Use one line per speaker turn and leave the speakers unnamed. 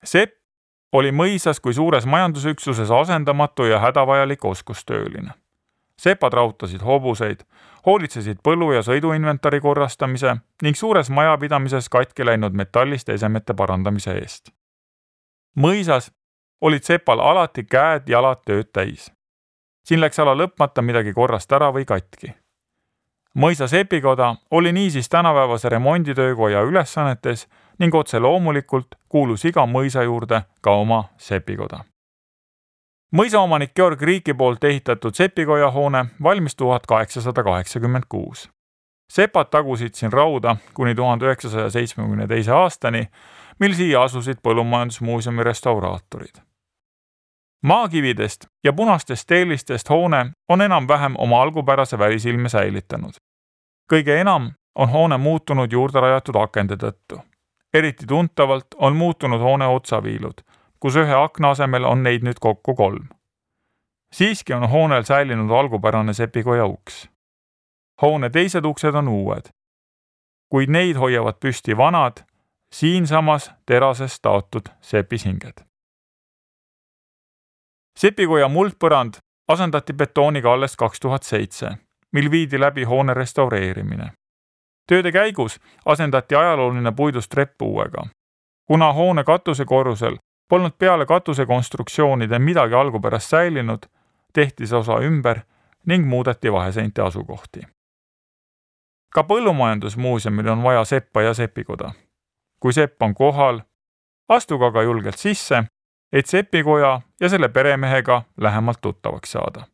Sepp oli mõisas kui suures majandusüksuses asendamatu ja hädavajalik oskustööline. Sepad rautasid hobuseid, hoolitsesid põllu- ja sõiduinventari korrastamise ning suures majapidamises katki läinud metalliste esemete parandamise eest. Mõisas olid sepal alati käed-jalad tööd täis. Siin läks ala lõpmata midagi korrast ära või katki. Mõisa sepikoda oli niisiis tänapäevase remonditöökoja ülesannetes ning otse loomulikult kuulus iga mõisa juurde ka oma sepikoda. Mõisaomanik Georg Riiki poolt ehitatud sepikoja hoone valmis 1886. Sepad tagusid siin rauda kuni 1972. aastani, mil siia asusid Põllumajandusmuuseumi restauraatorid. Maakividest ja punastest teelistest hoone on enam-vähem oma algupärase välisilme säilitanud. Kõige enam on hoone muutunud juurde rajatud akende tõttu. Eriti tuntavalt on muutunud hoone otsaviilud, kus ühe akna asemel on neid nüüd kokku 3. Siiski on hoonel säilinud algupärane sepikoja uks. Hoone teised uksed on uued, kuid neid hoiavad püsti vanad, siinsamas terasest taotud sepisinged. Sepikoja muldpõrand asendati betooniga alles 2007, mil viidi läbi hoone restaureerimine. Tööde käigus asendati ajalooline puidust trepp uuega. Kuna hoone katusekorrusel polnud peale katusekonstruktsioonide midagi algupärast säilinud, tehti see osa ümber ning muudeti vaheseinte asukohti. Ka Põllumajandusmuuseumil on vaja seppa ja sepikoda. Kui sepp on kohal, astuge aga julgelt sisse, et sepikoja ja selle peremehega lähemalt tuttavaks saada.